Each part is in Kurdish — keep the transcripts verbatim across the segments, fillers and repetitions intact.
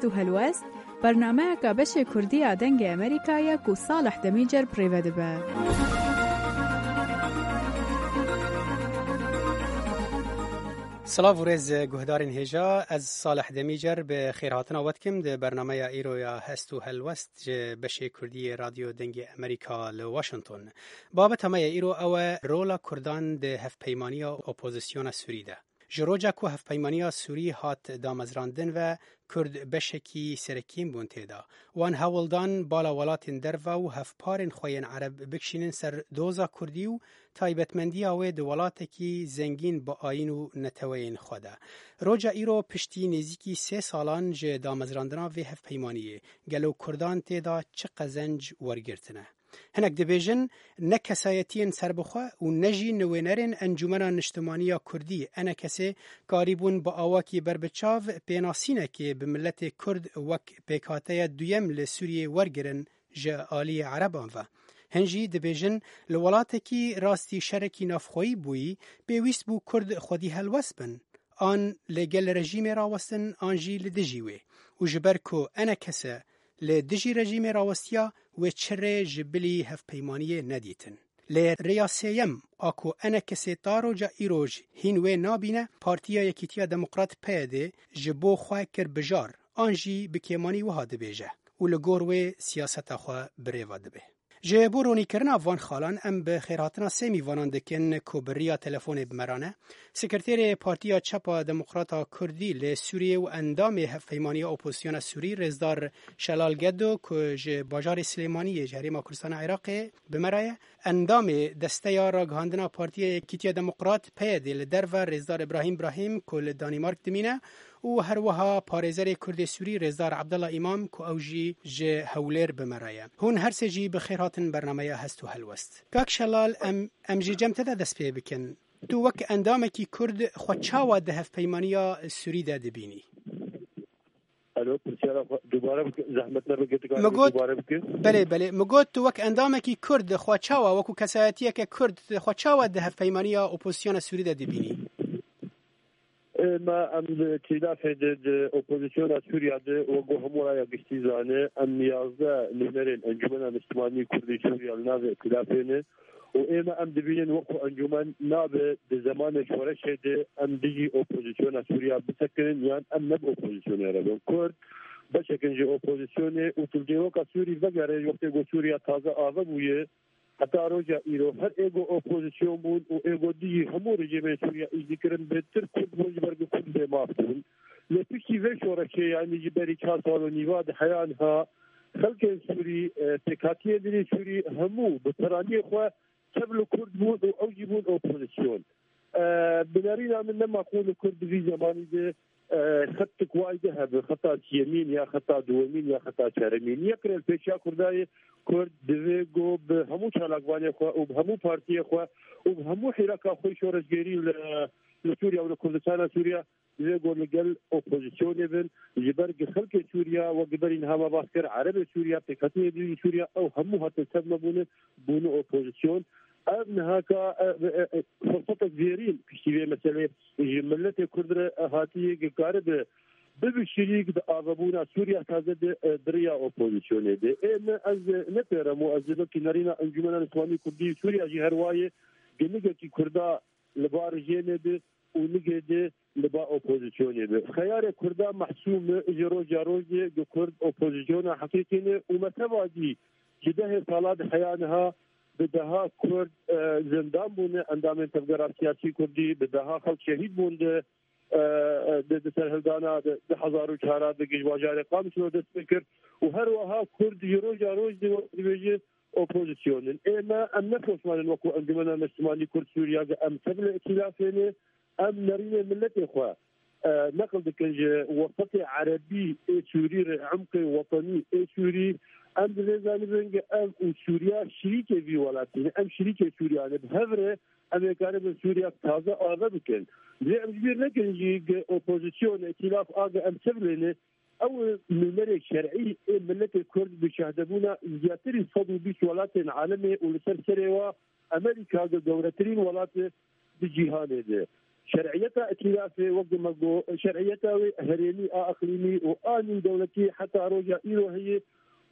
Hest û Helwest, bernameyeka beşê Kurdî ya Dengê Amerîka ye ku Salih Demîcer bi rê ve dibe. Silav û rêz guhdarên hêja, ez Salih Demîcer bi xêrhatina we dikim di bernameya îro ya Hest û Helwest ji beşê Kurdî yê Radyo Dengê Amerîka li Washington. Babeta me ya îro ew e rola Kurdan di hevpeymaniya opozisyona Sûrî de. Ji roja ku hevpeymaniya Sûrî hat damezrandin ve, Kurd beşekî serekîn bûn tê de. Wan hewl dan bala welatên derve û hevparên xwe yên Ereb bikişînin ser doza Kurdî û taybetmendiya wê di welatekî zengîn bi ayîn û neteweyên xwe de. Roja îro piştî nêzîkî sê salan ji damezrandina vê hevpeymaniyê, gelo Kurdan tê de çi qezenc wergirtine? Hinek dibêjin, ne kesayetiyên serbixwe û ne jî nivênerên Encûmena Niştimanî ya Kurdî, ENKSê, karîbûn bi awakî berbiçav pênasînekê bi miletê Kurd wek pêkhateya duyem li Sûriyê wergirin ji aliyê Ereban ve. Hin jî dibêjin, li welatekî rastî şerekî navxweyî bûyî, pêwîst bû Kurd xwedî helwest bin, an li gel rejîmê rawestin, an jî li dijî wê. Û ji ber ku ENKS li dijî rejîmê rawestiya, wê çi rê ji bilî hevpeymaniyê nedîtin. Lê rêya sêyem a ku ENKSê ta roja îroj hîn wê nabîne, Partiya Yekîtiya Demokrat, PYDê, ji bo xwe kir bijar, an jî bi kêmanî wiha dibêje û li gor wê siyaseta xwe bi rê ve dibe. Ji bo ronîkirina van xalan em bi xêrhatina sê mîvanan dikin ku bi riya telefonê bi me re ne. Sekreterê Partiya Çep a Demokrata Kurdî li Sûriyê û endamê Hevpeymaniya Opozisyona Sûrî, Rêzdar Şelal Gedo, ku ji bajarê Silêmaniyê ji Herêma Kurdistana Iraqê bi me re ye, endamê Desteya Ragihandina Partiya Yekîtiya Demokrat, PYDê, li derve, Rêzdar Îbrahîm Îbrahîm, ku li Danîmark dimîne, û her wiha parêzerê Kurdê Sûrî, Rêzdar Abdullah Îmam, ku ew jî ji Hewlêr bi me re ye. Hûn her sê jî bi xêr hatin bernameya Hest û Helwest. Kak Şelal, em, em jî cem te de dest pê bikin. Tu wek endamekî Kurd xwe çawa di hevpeymaniya Sûrî de dibînî? Alo, pirsyara xwe dubare bike, zehmet nebe, girtîka Min got, dubare bike. Belê, belê. Min got, tu wek endamekî Kurd xwe çawa, wekû kesayetiyeke Kurd, xwe çawa di hevpeymaniya opozisyona Sûrî de dibînî? Ê, me em li îtîlafê de, di opozisyona Sûriya de, wek ku hemû raya giştî zane, em yazdeh nûnerên Encûmena Niştimanî Kurdî Sûriya li navê îtîlafê ne. Û ême em dibînin wekû encûmen nabe di zemanê şoreşê de em dijî opozisyona Sûriya bisekinin yan em ne bi opozisyonê re bin. Kurd beşek in ji opozisyonê û tu li dîroka Sûrî vegere, wextê ku Sûriya taze ave bûye, heta roja îro her ê ku opozisyon bûn û ê ku dijî hemû rejîmên Sûriya îş dikirin, bêtir Kurd bûn, ji ber ku Kurd bêmaf bûn. Lê piştî vê şoreşê, yanî ji berî çar sal û nîva, di heya niha xelkên Sûrî, e, pêkhatiyên din ê Sûrî hemû bi piraniyê xwe tev li Kurd bûn û ew jî bûn opozisyon. E, bi nerîna min ne maqûl e Kurd di vî zemanî de, e, xetik wayî de hebe, xeta siyemîn ya xeta duwemîn ya xeta çaremîn. Yek rê li pêşiya Kurda ye, Kurd divê ku bi hemû çalakvanê xwe û bi hemû partiyê xwe û bi hemû hîraka xwe şoreşgerî li, li Sûriya û li Kurdistana Sûriya, divê ku li gel opozisyonê bin, ji ber ku xelkê Sûriya, wek berî niha me bas kir, Erebê Sûriya, pêkhatiyê dijî Sûriya, ew hemû hatin tev me bûne, bûne opozisyon. Ev nihaka, e, e, e, firsetek zêrîn piştî vê meselê ji miletê Kurd re, e, hatiye ku karibe bibe şirîk di avebûna Sûriya taze de, e, di riya opozisyonê de. Ê me, ez, e, ne pêrem û ez ê wekî nerîna Encûmena Niştimanî Kurdî Sûriya jî her wayê ku nigekî Kurda li ba rejîmê be û nigê de li ba opozisyonê be. Xeyarê Kurda mehsûm e, ji roja roj de ku Kurd opozisyona heqîqî ne û me teva dî ji dehê sala di heya niha bi deha Kurd, e, zindan bûne, endamên tevgera siyasî Kurdî, bi deha xelk şehîd bûn di, e, e, di, di serhildana di, di hezar û çar de ku ji bajarê Qamişlo dest pê kir û her wiha Kurd ji roja roj de wek dibêje opozisyon in. Ê me, em ne poşman in wekû Encûmena Niştimanî Kurd Sûriya ku em tev li îtîlafê ne, em nerînê miletê xwe, e, neqil dikin ji wesitê erebî ê Sûrî re, emqê wetenî ê Sûrî. Em divê zanibin ku ev û Sûriya şirîkê vî welatî ne, em şirîkê Sûriya ne. Bi hev re em ê karibin Sûriya taze ave bikin. Lê em ji bîr nekin jî ku opozisyon, îtîlaf a ku em tev lê ne, ew nûnerê şer'î ê miletê Kurd bi şahdebûna zêdetirî sed û bîst welatên alemê û li ser serê wa Amerîka ge-, gewretirîn welat e di cîhanê de. Şer'iyeta îtîlafê, wek me got, şer'iyeta wê herêmî a iqlîmî û a nîvdewletî heta roja îro heye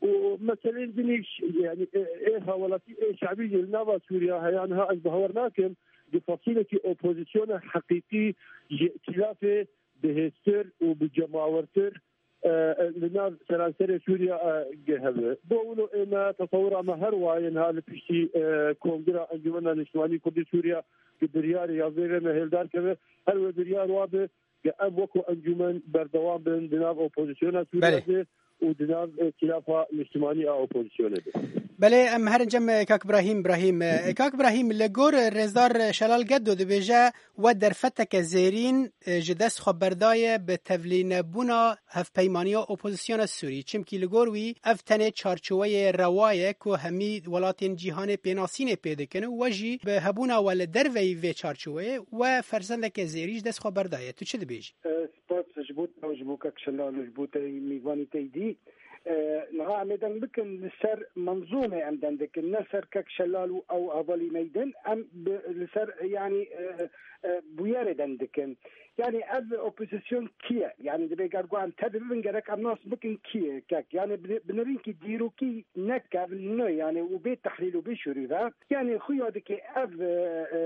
û meselên din îş, yanî, ê, ê hawelatî, ê şebî jî li nava Sûriya heye. Niha ez bawer nakim di fasîlekî opozisyona heqîqî ji îtîlafê bihêztir û bi cemawertir, e, e, li nav seranserê Sûriya, e, ge hebe. Bo wilo ê me, tesewira me her waye niha li piştî, e, Kongira Encûmena Niştimanî Kurdî Sûriya, ki biryarê yazdeh ve me hêldar keve, her wê biryar wa be, ke em wekî encûmen berdewam bin di nav opozisyona Sûriya Belê. de û di nav, e, îtîlafa niştimanî a opozisyonê de. Belê, em herin cem, e, Kak Brahîm, Brahîm. E, Kak Brahîm, li gor, e, Rêzdar Şelal Geddo dibêje, we derfeteke zêrîn, e, ji dest xwe berdaye bi tevlînebûna hevpeymaniya opozisyona Sûrî. Çimkî li gor wî ev tenê çarçoweyê rewa ye ku hemî welatên cîhanê pênasînê pê dikin û we jî bi hebûna we li derveyî vê çarçoweyê we fersendeke zêrî ji dest xwe berdaye. Tu çi dibêjî? E, spas ji bo te û ji bo kek Şelal û ji bo te mîvanî te dî. E, niha em ê deng bikin li ser menzûmê em deng dikin, ne ser kek Şelal û ew hevalî me din. Em bi, li ser, yanî, e, e, bûyerê deng dikin. Yanî ev opozisyon kî ye? Yanî divê ger ku em tevî bibin, gerek em nas bikin kî ye kek. Yanî bi, bi nirînkî dîrokî ne kevn, yanî û bê tehlîl û bê şûrî ve. Yanî xuya dike ev, e, e,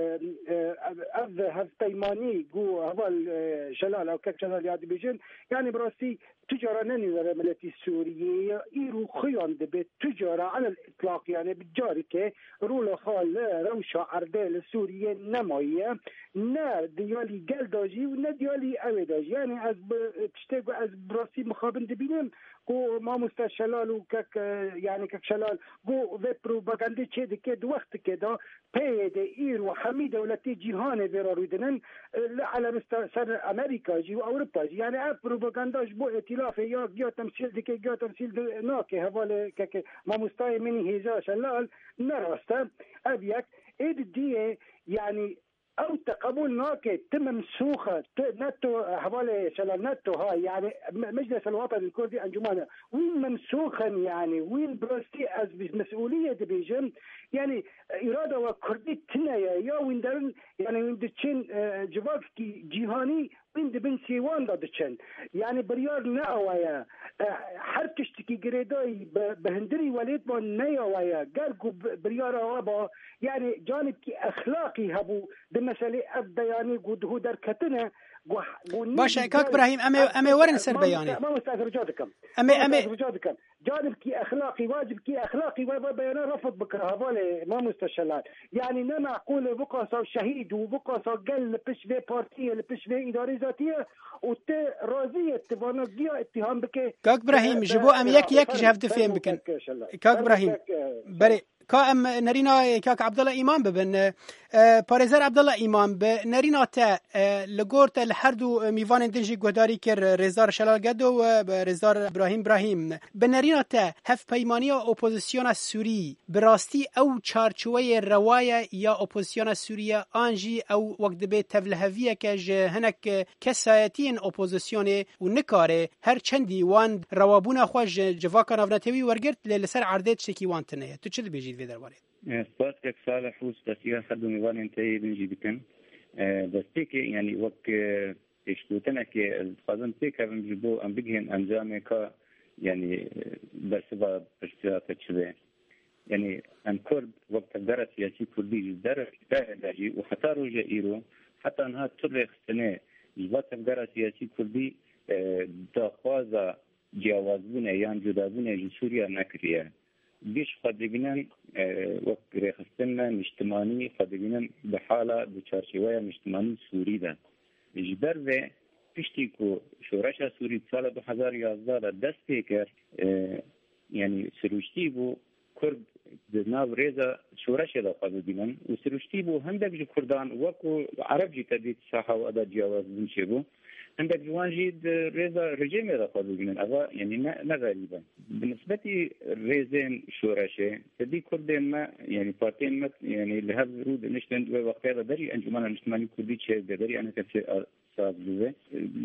e, ev, ev hevpeymanî ku heval, e, Şelal, ew kek Şelal ya dibêjin, yanî bi rastî tu cara ne nûnere miletî Sûriyê ye, îro xuyan dibe tu cara alel îtlaq, yanî bi careke rola xwe li rewşa erdê li Sûriyê nemaye, ne di yalî gel de jî û ne di yalî ewê de jî. Yanî ez bi tiştê ku ez bi rastî mixabin dibînim, ku mamoste Şelal û kek, e, yanî kek Şelal, ku vê propagandê çê dike di wextike de peyê de îro hemî dewletê cîhanê vê re rû dinin, e, li elemista ser Amerîka jî û Ewropa jî. Yanî ev propaganda ji bo îtîlafê ya giya temsîl dike, giya temsîl di-, nake. Hevalê kek mamostayê min î hêja Şelal ne rast e. Ev yek. Ê di diyê, yanî ew te qebûl nake, tu memsûx e, tu ne tu, hevalê Şelal, ne tu ha, yanî me-, Meclisa Lewata Kurdî Encûmana, wîn memsûx in, yanî wîn bi rastî ez bi mesûliyê dibêjim, yanî îrada we kurdî tune ye, ya wîn derin, yanî wîn diçin, e, civakî cîhanî, wîn di bin sêwan de diçin. Yanî biryar ne awa ye. E, her tiştekî girêdayî bi, bi hindirî welêt ve ne awa ye. Ger ku bi, biryar awa ba, yanî canibkî exlaqî hebû di meselê ev beyanê ku diho derketine, ku, ku Baş e, nî Kak Brahîm, em ê, em ê werin ser beyanê. Mamoste, mamoste, ez rica dikim. Em ê, em ê Mamoste, ez rica dikim. Canibkî exlaqî, wacibkî exlaqî we, we beyana refd bikira, hevalê mamoste Şelal. Yanî ne meqûl e, viqasa şehîd û viqasa gel li pişt vê partiyê, li pişt vê îdarê zatiye û tu razî ye, tu vana giya îttiham bike. Kak Brahîm, ji bo em yek yek ji hev difêm bikin. Kak Brahîm, berê, ka em nerîna Kak Abdullah Îmam bibin. E, parêzer Abdullah Îmam, bi nerîna te, e, li gor te li her du mîvanên din jî guhdarî kir, Rêzdar Şelal Gedo û, e, Rêzdar Brahîm Brahîm. Bi nerîna te, hevpeymaniya opozisyona Sûrî bi rastî ew çarçoweyê rewa ye ya opozisyona Sûrî ye, an jî ew wek dibê tevliheviyeke ji hinek kesayetiyên opozisyonê û nikare her çendî wan rewabûna xwe ji civaka navnetewî wergirt, lê li ser erdê tiştekî wan tune ye. Tu çi dibêjî di vê derbarê? E, spas kek Salih û spasiya her du mêvanên te yê din jî dikim. E, destpêkê, yanî wek, e, pêşgotinekê ez dixwazim pêkevim ji bo em bigihên encamê ka, yanî, e, bersiva pirsiyata çi be. Yanî em Kurd wek tevgera siyasî Kurdî ji der, derê de jî û heta roja îro, heta niha tu rêxistinê ji va tevgera siyasî Kurdî, e, daxwaza ciyawazbûnê yan cudabûnê ji Sûriya nekiriye. Giş xwe dibînin, e, wek rêxistin me niştimanî xwe dibînin bi hala di çarçeweya niştimanî Sûrî de. Ji ber vê piştî ku şoreşa Sûrî di sala du hezar yazdeh de dest pê kir, e, yanî sirûştî bû, Kurd di nav rêza şoreşê de xwe bibînin û sirûştî bû hindek ji Kurdan, wekû Ereb jî te dît saha we de ciyawazbûn çêbû. Hindek ji wan jî di rêza rejîmê de xwe bibînin. Eva, yanî ne, ne xerîb e. Bi nisbetî rêzên şoreşê, te dî Kurdên me, yanî partiyên me, yanî li hev rû diniştin, wê wextê de berî Encûmena Niştimanî Kurdî çêbû, berî eneke sê-, rast bibe.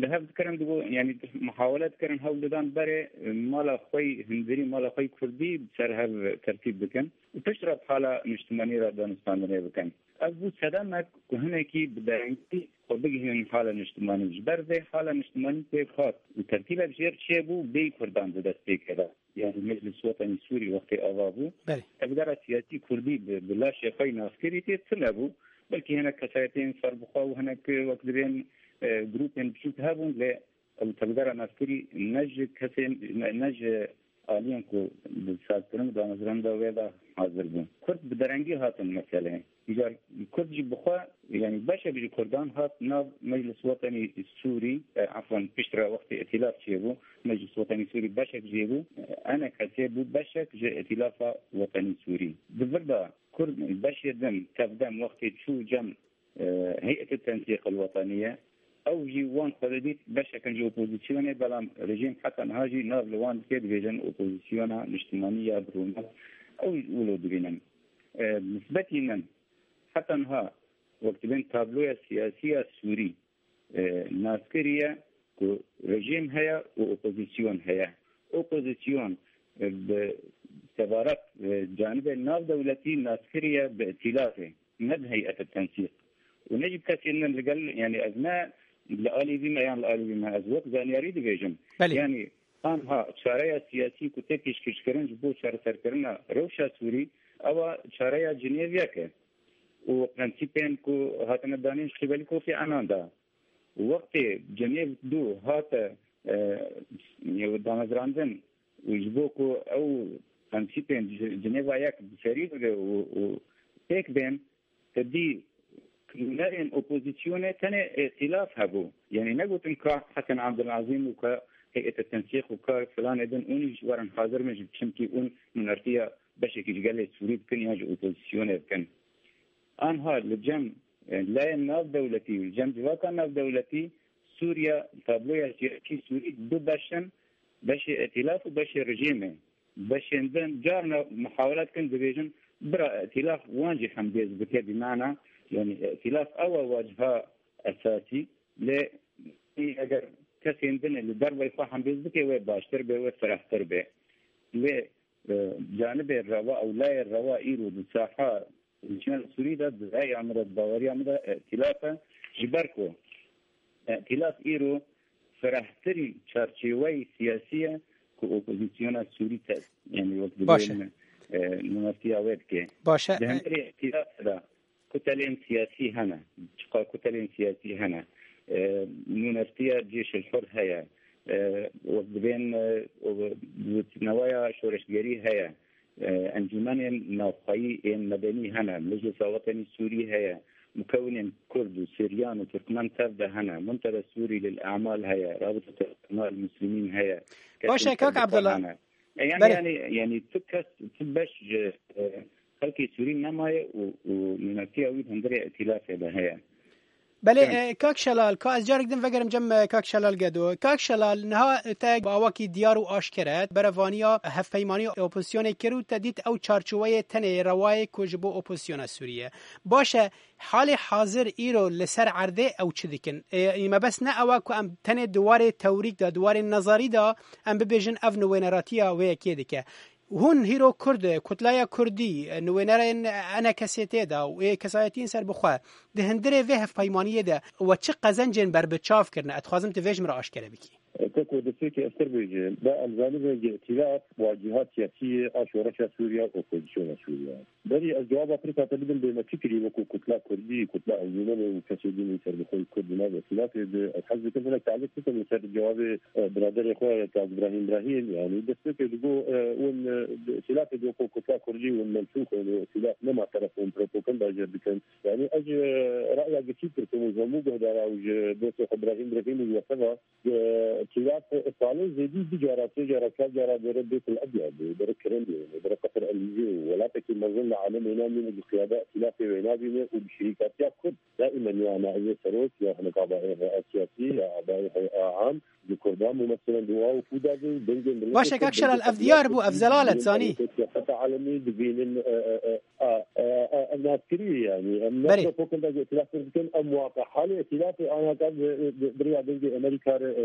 Li hev dikirin digo, yanî muhawele dikirin hewl didan berê mala xwe yî hundirî, mala xwe yî kurdî bi ser hev tertîb bikin. Û piştre bi hala niştimanî re danûstandinê bikin. Ev bû sedemek ku hinekî bi derengî xwe bigihînin hala niştimanî. Ji ber vê hala niştimanî tê hat û tertîbek jêr çêbû, bêyî kurdan di dest pê keve. Yanî Meclis Wetenî Sûrî wextê ava bû. Belê. Tevgera siyasî kurdî bi, bi laşê xwe yî naskirî tê tune bû. Belkî hinek kesayetên serbixwe û hinek wek dibên, e, grûpên biçûk hebûn, lê ew tevgera naskirî ne ji kesên, ne, ne ji aliyên ku di sazkirin û damezrandina wê de hazir bûn. Kurd bi derengî hatin meseleyê. Îcar Kurd jî bi xwe, yanî beşek ji Kurdan hat nav Meclis Wetenî Sûrî, e, efwen piştre wextê îtîlaf çêbû, Meclis Wetenî Sûrî beşek jê bû, e, ENKSê bû beşek ji Îtîlafa Wetenî Sûrî. Di vir de Kurd beşê din tevdem wextê çû cem, e, Heyetê Tensîq el Weteniye, ew jî wan xwe didît beşek in ji opozîsyonê, belam rejîm heta niha jî nav li wan dike, dibêjin opozîsyona niştimanî ya bi rûmet. Ew wilo dibînin. E, nisbetî min heta niha wek dibên tabloya siyasî ya Sûrî, e, nas kiriye ku rejîm heye û opozîsyon heye. Opozîsyon, e, bi sebaret, e, canibê navdewletî nas kiriye bi îtîlafê, ne bi heyet tensîq. Û ne jî bi kesên din li gel, yanî ez ne li alî vî me yan li alî vî me, ez wek zanyarî dibêjim. Belê. Yanî anha çareya siyasî ku tê pêşkêşkirin ji bo çareserkirina rewşa Sûrî, ewa çareya Cinêv yek e. Û prensîpên ku hatine danîn ji qîbelî Kofî Enan de. Wextê Cenêv du hate, e, damezrandin û ji bo ku ew prensîpên Ci-, Cinêva yek bi serî bibe û, û pêk bên, te dî nûnerên opozîsyonê tenê îtîlaf hebû. Yanî negotin ka Hesen Abdulazîm û ka Heyete Tensîq û ka filanê din ûn jî werin hazir bin, çimkî ûn nûnertiya beşekî ji gelê Sûrî bikin yan ji opozîsyonê bikin. Anha li cem, e, layên navdewletî û li cem civaka navdewletî Sûriye, tabloya siyasî Sûrî du beş in, beşê îtîlaf û beşê rejîmê. Beşên din carna muhawele dikin, dibêjin bira îtîlaf wan jî hembêz bike, bîmana, yanî îtîlaf ew e waciha esasî, lê eger kesên din li derveyî xwe hembêz bike, wê baştir be, wê firehtir be. Lê, e, canibê rewa ew layê rewa îro di saha Sûrî de, di raya min de, di baweriya min de, îtîlaf e. Ji ber ku îtîlaf îro firehtirî çarçêweyî siyasî ye ku opozîsyona Sûrî te, yanî wek Baş e. dibêjin, e, nûnertiya wê dike. Baş e. Di hundirê îtîlafê de kutelên siyasî hene. Çiqa kutelên siyasî hene. E, nûnertiya Cêşil Hur heye. E, wek dibên, e, o, dûtneweya şoreşgerî heye. E, encûmenên navxweyî ên medenî hene. Meclisa Wetenî Sûrî heye. Mukewinên Kurd û Siryan û Tirkmen tev de hene. Muntada Sûrî lil Emal heye. Rabiteta Emal Muslimîn heye. Baş e, Kesên kak serbixwe Abdullah. hene. E, yani, Belê. yani, yani tu kes, tu beş ji, e, xelkê Sûrî nemaye û, û nûnertiya wî di hundirê îtîlafê de heye. Belê, Evet. e, kak Şelal, ka ez carek din vegerim cem, e, kak Şelal Gedo. Kak Şelal, niha te bi awakî diyar û aşkere berevaniya hevpeymaniya opozisyonê kir û te dît ew çarçoweyê tenê rewayê ku ji bo opozisyona Sûriye. Baş e, halê hazir îro li ser erdê ew çi dikin? E, mebest ne ew e ku em tenê di warê tewrîk de, di warê nezarî de em bibêjin ev nûwêneratiya wê yekê dike. Hûn hîro Kurd, Kutlaya Kurdî, nûwênerên ENKSê tê de û ê kesayetiyên serbixwe di hundirê vê hevpeymaniyê de we çi qezencên berbiçav kirine? Ez dixwazim tu vê ji min re aşkere bikî. Te ku destpêkê ez pir bêjim, ba em zanibin îtîlaf waciha siyasî ye a şoreşa Sûriye û opozisyona Sûriye. Berî ez cewaba pirsa te bidim, bê me çi kirî wekû Kutla Kurdî, Kutla Encûmenê û kesê din ên serbixweyî Kurd di nav îtîlafê de? Ez hez dikim hinek taliq bikim li ser cewabê, e, biraderê xwe Kak Îbrahîm Îbrahîm. Yanî destpêkê digo, e, hûn, e, di îtîlafê de wekû Kutla Kurdî hûn menfûx in û îtîlaf nema teref hûn propagandaje dikin. Yanî ez, e, raya giştî pirsim û ji hemû guhdara û ji dostê xwe Îbrahîm Îbrahîm û ji we teva, e, îtîlaf Salê zêdî du cara, sê cara, çar cara bere Bêt el Ebyad, bere Kremlin, bere Qesr Elîze û welatekî mezin li alemê namîne ji qiyada îtîlafê wê nabîne û bi şirîkatiya Kurd daîmen ya naîbê serok ya hinek abayê hey'a siyasî ya abayê hey'a am ji Kurdan mumesilen di wa û fûda bin dengê milletê Baş e, Kak Şelal, ev diyar bû, ev zelal e, zanî. Siyaseta alemî dibînin, e, e, e, a, e, e, em nas kirî, yanî em Berê. Nasra fokin da îtîlaf dikin, em waqe halê îtîlafê anaka bi, bi, bi riya dengê Amerîka re, e,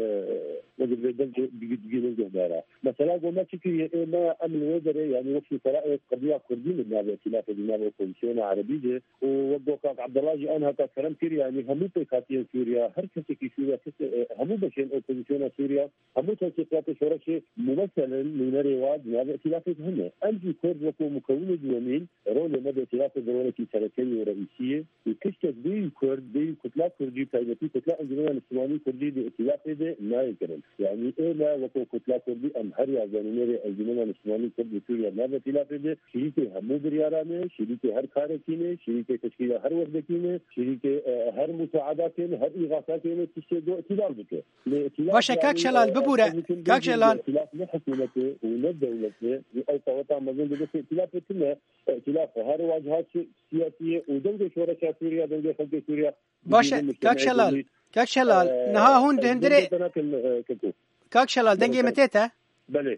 wekî vê dengê digî-, digînin guhdara. Mesela go me çi kiriye, ê me em li wê derê, yanî wek mesela ê qediya Kurdî li navê îtîlafê di navê opozisyona Erebî de û wek go Kak Abdullah jî anaka kerem kir, yanî hemû pêkhatiyên Sûriya, her kesekî Sûriya, kes, e, hemû beşên opozisyona Sûriya, hemû teşkîlatê şoreşê mumeselen nûnerê wa di navê îtîlafê de hene. Em jî Kurd wekû mukewinê duwemîn, rolê me di îtîlafê de rolekî serekeyî û reîsî ye û tiştek bêyî Kurd, bêyî kutla Kurdî, taybetî kutla Encûmena Niştimanî Kurdî di îtîlafê de nayê kirin. Yanî ê me wekû kutla Kurdî em her yazde nûnerê Encûmena Niştimanî Kurd li Sûriya navê îtîlafê de şirîkê hemû biryaran e, şirîkê her karekî ne, şirîkê teşkîla her wexdekî ne, şirîkê, e, her musaadakê ne, her îxasakê ne, tiştê go îtîlal bike. Lê îtîlaf Baş e, Kak yanî, Şelal, e, bibûre. Kak Şelal. Îtîlaf ne hikûmet e û ne dewlet e. Ew qeweta mezin di destê îtîlafê tune. Îtîlaf her waciha si-, siyasî ye û dengê şoreşa Sûriya, dengê xelkê Sûriya. Baş e, Kak Şelal. Kak Şelal, e, niha hûn di hundirê dengê te nakin, e, Keko. Kak Şelal, dengê min tê te? Belê.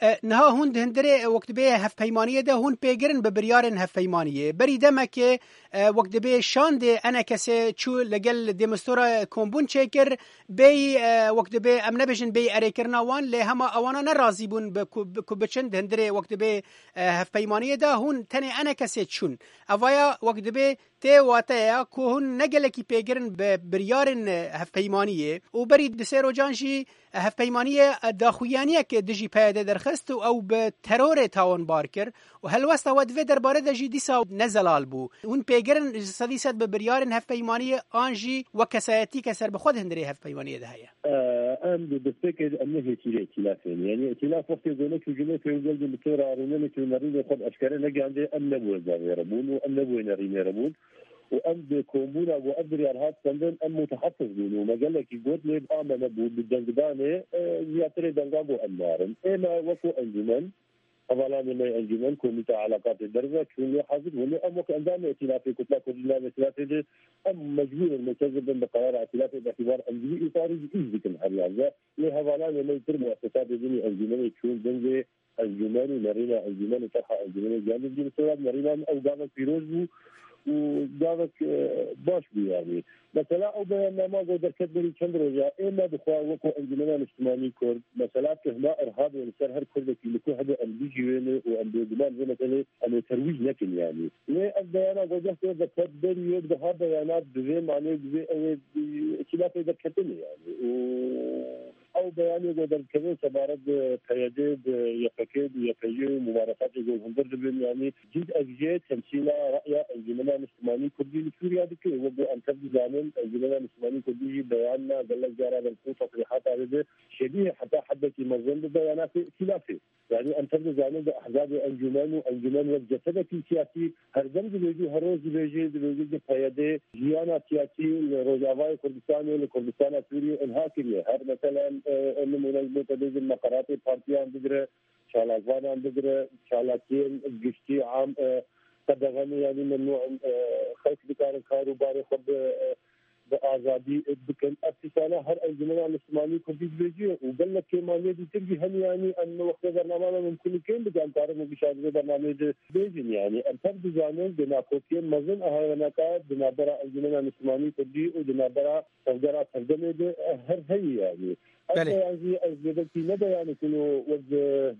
E, niha hûn di hundirê, e, wek dibê hevpeymaniyê de hûn pêgirin bi biryarên hevpeymaniyê. Berî demekê, e, wek dibê şandê enekesê çû legel Demistora kombûn çêkir, bêyî, e, wek dibê em nebêjin bêyî erêkirina wan, lê hema ewana nerazî bûn bi ku, bi ku biçin di hundirê wek dibê, e, hevpeymaniyê de hûn tenê enekesê çûn. Evaya wek dibê tê wateya ku hûn ne gelekî pêgirin bi biryarên, e, hevpeymaniyê û berî di sê rojan jî hevpeymaniyê daxuyaniyek dijî P Y D derxist û ew bi terorê tawanbar kir û helwesta we di vê derbarê de jî dîsa ne zelal bû. Hûn pêgirin ji sedî sed bi biryarên hevpeymaniyê an jî wek kesayetîke serbixwe di hundirê hevpeymaniyê de heye? Em di destpêkê de em ne hêsîrê îtîlafê ne. Yanî îtîlaf wextê ku neçû cumê pêwî gelgin bi têra rûnenê ku nerînê xwe bi eşkere negihande, em nebûyê zavêre bûn û em nebûyê nerînê re bûn. û em bi kombûna ku ev biryar hat stendin, em mutehafiz bûn û me gelekî got, lê bi a me nebû, bi dengdanê, e, ziyatirê denga ku em narin. Ê me wekû encûmen, hevalanê me yê encûmen, komîta elaqatê derve, çûn lê hazir bûn. Lê em wek endamê îtîlafê, Kutla Kurdî navê îtîlafê de, em mecbûr in multezim bin bi qerara îtîlafê, bi îtîbar encûmî îparî jî îş dikin her yazde. Lê hevalanê me yê tir muessesatê din yê encûmenê çûn dengê encûmen û nerîna encûmen û çerxa encûmenê giyan dizgîn sora nerîna min ew gavek pîroz bû û gavek, e, baş bû yanî. Mesela ew beyannama ku derket berî çend roja, ê me dixwe wekû Encûmena Niştimanî Kurd, mesela tuhma irhabê li ser her Kurdekî li ku hebe em bijî wê ne û em bêguman vê meselê em ê terwîj nekin yanî. Lê ev beyana ku cehd derket berî wê biha beyanat bi vê manê, bi vê ew ê, e, îtîlafê derketin e yanî. Û Ew beyanê ku derdikeve sebaret bi P Y D, bi Y P G, bi Y P G û mubarefatê ku li hundir dibin, yanî cîd ev jê temsîla ra'ya Encûmena Niştimanî Kurdî li Sûriya dike. Wek ku em tev dizanin, Encûmena Niştimanî Kurdî jî beyana gelek cara derket û tesrîhata wê de şebîhe heta heddekî mezin bi beyanatê îtîlafê. Yanî em tev dizanin bi ehzabê encûmen û encûmen wek cesedekî siyasî her dem dibêjî, her roj dibêjî, dibêjî ku P Y D jiyana siyasî li Rojavayê Kurdistanê, li Kurdistana Sûriyê inha kiriye. Her meselen, e, e, nimûne ji bo te bêjin meqeratê partiyan bigire, çalakvanan bigire, çalakiyên giştî am, e, qedexen, yanî memnû in, e, xelk dikarin kar û barê xwe bi, e, bi azadî bikin. Ev tiştana her Encûmena Niştimanî Kurdî dibêjî û gelek kêmaniyê dîtir jî hene, yanî em wextê bernama me mimkun kêm bike, em karin wekî şazdê bernameyê de bêjin, yanî em tev dizanin di nakokiyên mezin a heweneka di navbera Encûmena Niştimanî Kurdî û di navbera tevgera tevdemê de her heyî, yanî. Ev Belê. Beyan jî ez dê belkî ne beyanek û wek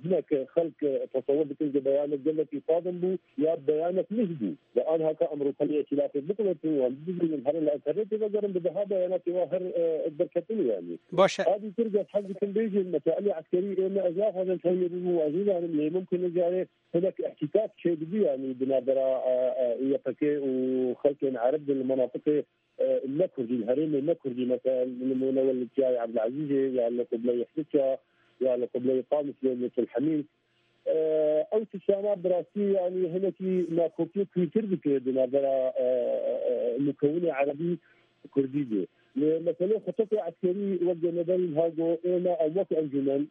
hinek xelk tesewur dikin ku beyanek gelekî sazin bû ya beyanek lih bû. Ve anha ka em rûpelê îtîlafê biqulêtin û em bibînin herin li enternetê vegerin, bi daha beyanatê wa her, e, derketin yanî. Baş e. A dîtir ez hez dikim bêjin, mesailê eskerî ê me ez naxwazim fehmê bibû, ez nizanim lê mumkin e carê hinek îhtîkak çêdibî yanî di navbera, e, e, Y P G û xelkên Ereb de li menatiqê e, ne Kurdî, li herêmê ne Kurdî, mesela, nimûne we li Tiyayê Ebdilezîzê, ya li Qibleyê Hidika, ya li Qibleyê Qamişlê, li Til Hemîd. E, ew tiştana bi rastî, yanî, hinekî nakokiyê kûrtir dike di navbera, e, e, e, mukewinê erebî Kurdî bû. Lê meselê xetetê eskerî wek Ceneberî niha got, ême em wek encûmen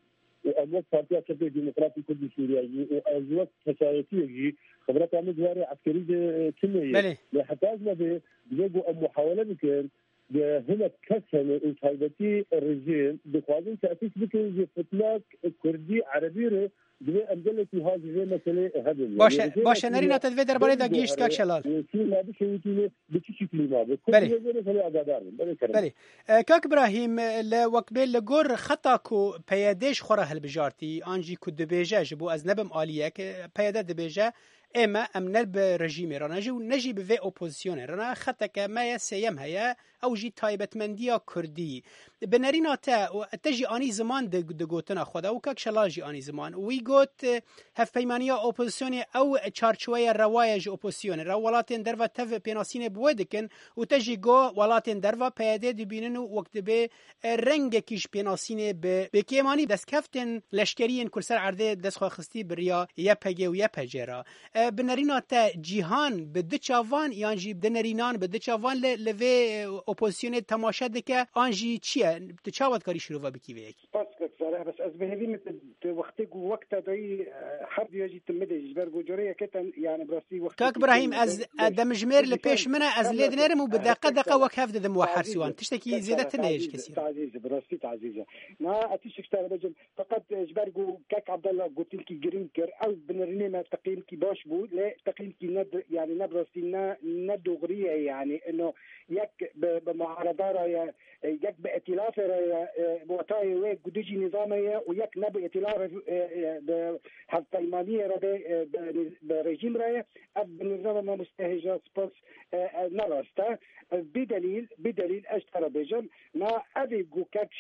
û em wek Partiya Çepê Demokratî Kurd û Sûriyeyî û ez wek kesayetiyek jî xibreta min di warê eskerî de tune ye. Belê. Lê heta ez nebe, divê ku em muhawele bikin, de hinek kes hene û taybetî rejîm dixwazin tesîs bikin ji fitnak Kurdî, Erebî re, divê em gelekî ha ji vê meselê hebin. Baş e, Yani, baş e, Nerîna, te di vê derbarê de gihîşt, kak Şelal. Sûriya bişewitîne bi çi şeklî mabe? Belê. Kurdiye vê meselê agadar bin. Belê kerem. Belê. E, kak Ibrahîm, e, li wek bê li gor xeta ku P Y D ji xwe re hilbijartî, an jî ku dibêje, ji bo ez nebim aliyek, e, P Y D dibêje, ê me, em ne bi rejîmê re ne jî û ne jî bi vê opozisyonê re ne, xeteke me ye, sêyem heye, ew jî taybetmendiya Kurdî. Bi nerîna te û te jî anî ziman di, di gotina xwe de û kak Şelal jî anî ziman. Wî got, e, hevpeymaniya opozisyonê ew çarçoweya rewa ye ji opozisyonê re. Welatên derve tev pênasînê bi wê dikin û te jî got, welatên derve P Y D dibînin û wek dibê, e, rengekî ji pênasînê bi, bi kêmanî destkeftên leşkerî yên ku li ser erdê dest xwe xistî bi riya Y P G û Y P G re. E, bi nerîna te cîhan bi du çavan yan jî di nerînan bi du çavan li, li vê, e, opozisyonê temaşe dike an jî çi ye? Tu çawa dikarî şirove bikî vê yekê? Spas kek Salih, bes ez bi hêvî me tu, tu wextê ku wek te dayî, e, her duya jî tu midê ji ber ku corê yekê te, yani bi rastî wextê Kak Ibrahîm, ez, e, demjimêr li pêş min e, ez lê dinerim û bi deqe deqe wek hev didim we her siwan. Tiştekî zêde tune ye ji kesî re. Tazîz, bi rastî tazîz e. Na, ez tiştek ji te re bêjim. Feqet, e, ji ber ku kek Abdullah gotinkî girîng kir, ew binirînê me teqîmkî baş bû, lê teqîmkî ne di-, yani ne bi rastî ne, ne doğrî ye, yani ino yek bi, bi muaredara ye, e, yek bi îtîlafê re ye, e, watayê wê ku dijî nîzamê ye û yek ne bi îtîlafê, e, e, bi hevpeymaniyê re be, e, bi, bi rejîm re ye. Ev binirîna me mamoste hêja spas, e, e, ne rast e. E, bîdelîl, bîdelîl ez ji te re bêjim, Na evê ku kek,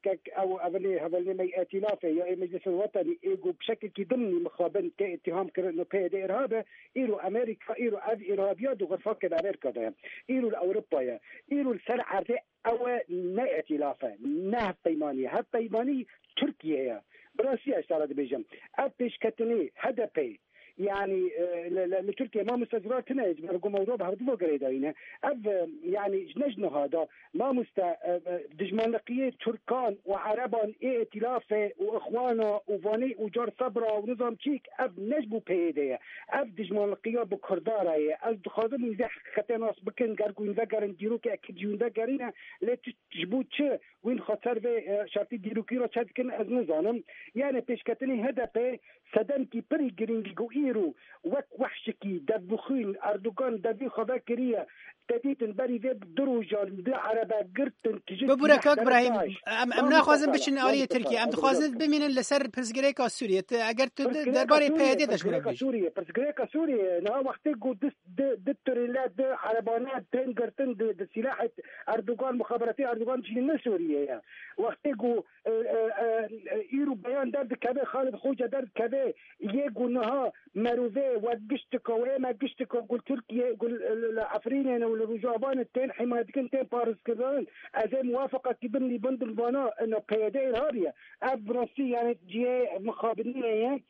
kek ew evelê hevalnê me yê Îtîlafê ya yê Meclîsê Wetenî ê ku bi şekilkî dimnî mixabin tê îtîham kirin û P Y D îrhab e, îro Amerîka, îro ev îrhabiya di xurfakên Amerîka de ye. Îro li Ewropa ye. Îro li ser erdê ew e, ne îtîlaf e, ne hevpeymanî ye. Hevpeymanî Tirkiye ye. Bi rastî ez te re dibêjim. Ev pêşketinê H D P, Yani, e, li, li, li Tirkiye mamoste zirar tune ye, ji ber ku mewduwa bi hevdu ve girêdayî ne. Ev, e, yani, ji ne ji niha de, mamoste, e, e, dijmanliqiyê Tirkan û Ereban ê Îtîlafê û Îxwana û vanê û car Sebra û nizam çîk, ev ne ji bo P Y D ye. Ev dijmanliqiya bi Kurda re ye. Ez dixwazim wî vê heqîqetê nas bikin, ger ku wî vegerin dîrokê ekî jî wî vegerîne, lê tu ji bo çi wî xwe ser vê, e, şertî dîrokî re çe dikin, ez nizanim. Yani, pêşketinê H D P Sedemkî pirî girîng ku îro wek wehşikî devbixwîn Erdogan devî xwe vekiriye, te dîtin berî vê du rojan du erebe girtin, tijî Bibûre, kak Brahîm, em, em naxwazin biçin aliyê Tirkiye. Em dixwazin bimînin li ser pirsgirêka Sûriyê. Tu, eger tu derbarê P Y D de ji min re bêjî. Sûriyê, pirsgirêka Sûriyê. Niha wextê ku du, du, du tirêle, du erebane tên girtin di, di sîlahê Erdogan, muxaberatê Erdogan çînin ne Sûriyê ye. Wextê ku e, e, e, e, îro beyan derdikeve, Xalid Xoce derdikeve, yê ku niha merovê we giştika, wê me giştika ku li Tirkiye, ku li, li, li Efrînê ne û li Rojava ne tên hîmaye dikin, tên parêzkirin. Ez ê muwafaqekî bim lî bin dim vana, ina P Y D îrhabî ye. Ev bi rastî, yani, cihê mixabiniyê ye.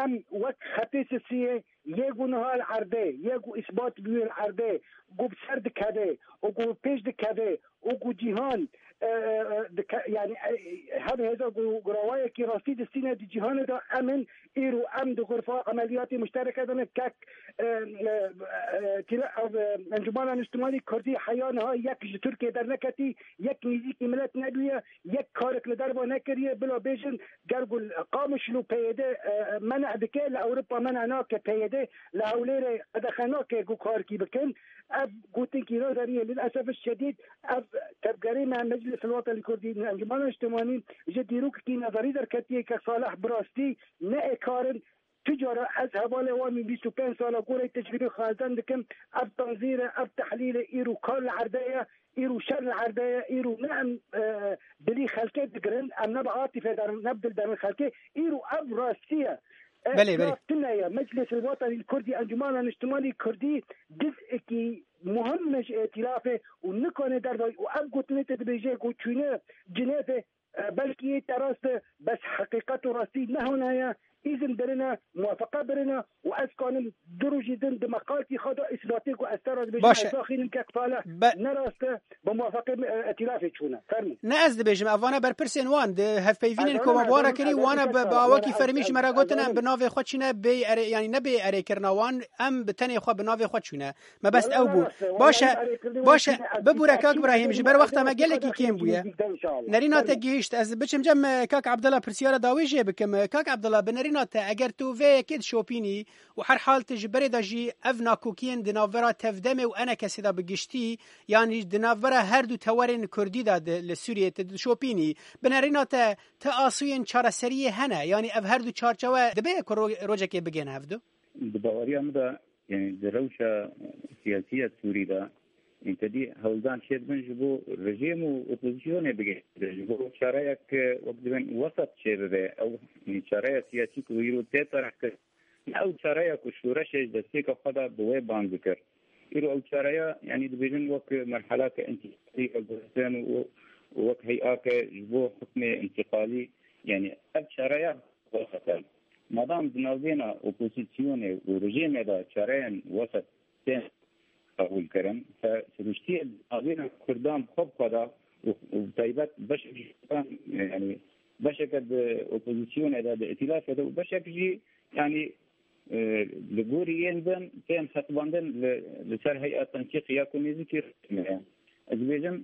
Em wek xetê sisiyê, yê ku niha li erdê, yê ku îsbat bûye li erdê, ku bi ser dikeve û ku bi pêş dikeve û ku cîhan, e, e, e, dike-, yani, e, her hêza ku rawayekî rastî distîne di cîhanê de, em in îro em di xurfa emeliyatê muştereke de ne kek, e, e, e, tîle-, ev, e, Encûmena Niştimanî Kurdî heya niha yek ji Tirkiye derneketî, yek nêzîkî milet nebûye, yek karek li derva nekiriye, bila bêjin, ger ku li Qamişlo P Y D, e, meneh dike, li Ewropa meneh nake P Y D, li Hewlêrê qedexe nake ku karkî bikin. Ev gotinkî nazerî ye, lilesef şedîd, ev tevgerê me Meclis Wetanî Kurdî, Encûmena Niştimanî ji dîrokekî nazerî derketiye ke Salih bi rastî ne ê kar in. Tu cara ez hevalê wan bîst û pênc sala goreyê tecrûbê xwe elden dikim. Ev tanzîr e, ev tehlîl e, îro kar li erdê ye, îro şer li erdê ye, îro ne em, e, dilî xelkê digirin, em ne bi atîfe derin, ne bi dil derin xelkê, îro ev rastî ye. E, Belê, belê. Tune ye, Meclîs Wetanî Kurdî, Encûmena Niştimanî Kurdî, ciz'ekî muhim e ji îtîlafê û nikane dervayî û ev gotinê te dibêje ku çûne Cinêvê, E, belkî yê te rast e, bes heqîqet û rastî ne hona ye. îzin birine, muwafeqa birine û ez kanim du rojî din di meqaltî xwe de îsbatê ku ez te re dibêjim, Baş e. ez daxînim kek Salih Be- ne rast e, bi muwafeqê, e, îtîlafê çûne. Fermî. Ne ez dibêjim, evane berpirsên wan di hevpeyvînên Ez koma zanim, bi wan re ez kirî, zanim, wane ez bi, bi zanim, awakî ez fermî ji me re zanim, gotin, ez em bi navê xwe çîne bê ere, yanî ne bê erêkirina wan, em bi tenê xwe bi navê xwe çûne. Me bes Wala ew bû. Baş e, baş e, bibûre kak Brahîm, ji ber wexta me gelekî kêm bûye. Nerîna te gihîşt, ez biçim cem, e, kak Abdullah pirsiyara dawî jê bikim. E, kak Abdullah, bi nerîna te, eger tu vê yekê dişopînî û her hal tu ji berê de jî ev nakokiyên di navbera Tevdemê û ENKSê de bi giştî, yanî di navbera her du tewerên Kurdî de di, li Sûriyê tu dişopînî, bi nerîna te, ti asûyên çareseriyê hene, yanî ev her du çarçewe dibe ku ro-, rojekê bigihne hevdu? Di baweriya min de, yanî di rewşa siyasî ya Sûrî de, yanî te dî hewldan çêdibin ji bo rejîm û opozisyonê bigihînin, ji bo çareyek, wek dibên, wesat çêbibe. Ew, yanî çareya siyasî ku îro tê terehkirin, ne ew çareya ku şoreşê ji destpêka xwe de bi wê bang dikir. Îro ew çareya, yanî dibêjin wek merhelake întîqalî veguhertin û, û wek heyake ji bo hukmê întîqalî, yanî ev çareya wesat e. Madam di navbêna opozisyonê û rejîmê de çareyên wesat tên qebûl kirin, te siruştiyê di navbêna Kurdan bi xwe bi xwe de û, û taybet beşek ji Kurdan, yanî beşeke di opozisyonê de, di îtîlafê de û beşek jî, yanî, e, li gorî yên din tên hesibandin li, li ser heya tensîq ya ku nêzîkî rejîmê ye. Ez dibêjim,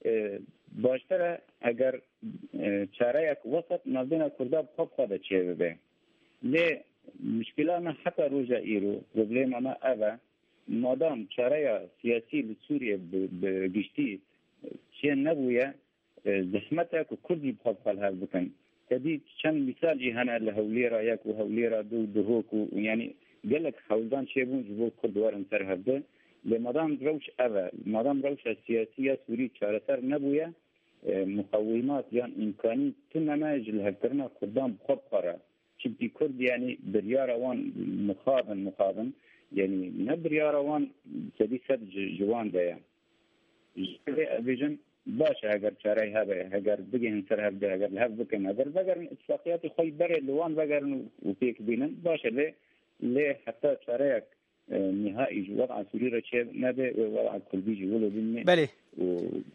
e, baştir e eger, e, çareyek wesat navbêna Kurda bi xwe bi xwe de çêbibe. Lê mişkila me heta roja îro, problema me ev e, madam çareya siyasî li Sûriyê bi, bi giştî çê nebûye, e, zehmet e ku Kurd jî bi xwe bi xwe li hev bikin. Te dî çend mîsal jî hene li Hewlêra yek û Hewlêra du û Duhok û, û yanî gelek hewldan çêbûn ji bo Kurd werin ser hevdu. Lê madam rewş ev e, madam rewşa siyasî ya Sûrî çareser nebûye, e, muqewîmat yan îmkanî tune me ji lihevkirina Kurdan bi xwe bi xwe re. Çimkî Kurd, yanî biryara wan mixabin, mixabin, yanî ne biryara wan sedî sed ji, ji wan de ye. Ji vê ez bêjim, baş e, heger çarey hebe, heger bigihên ser hevdu, heger li hev bikin, heger vegerin îtifaqiyatê xwe yî berê li wan vegerin û, û pêk bînin, baş e, lê, lê heta çareyek, e, nîhaî ji weda Sûrî re çê nebe, wê weda Kurdî jî wilo bimîne Belê. û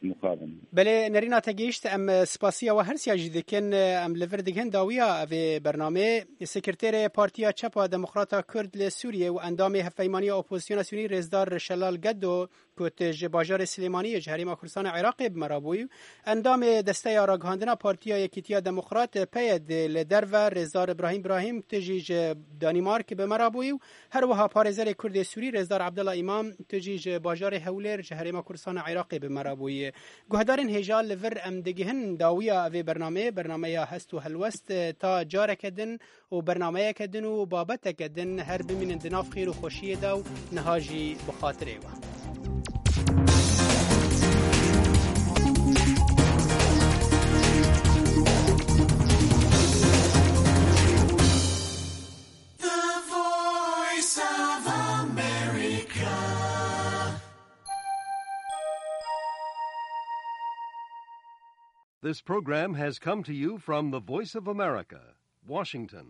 mixabin. Belê, nerîna te gihîşt, em, e, spasiya we her siya jî dikin, e, em li vir digihên dawiya vê bernameyê. Sekreterê Partiya Çepa Demokrata Kurd li Sûriyê û endamê Hevpeymaniya Opozisyona Sûrî Rêzdar Şelal Geddo, ku tu ji bajarê Silêmaniyê ji Herêma Kurdistanê Iraqê bi me re bûyî, endamê Desteya Ragihandina Partiya Yekîtiya Demokrat, PYD, li derve, Rêzdar Îbrahîm Îbrahîm, tu jî ji Danîmark bi me re bûyî û her wiha parêzerê Kurdê Sûrî, Rêzdar Abdullah Îmam, tu jî ji bajarê Hewlêr ji Herêma Kurdistanê Iraqê bi me re bûyî. Guhdarên hêja, li vir em digihin dawiya vê bernameyê, bernameya Hest û Helwest, ta careke din û bernameyeke din û babeteke din her bimînin di nav xêr û xweşiyê de û niha jî bi xatirê we. The Voice of America. This program has come to you from the Voice of America, Washington.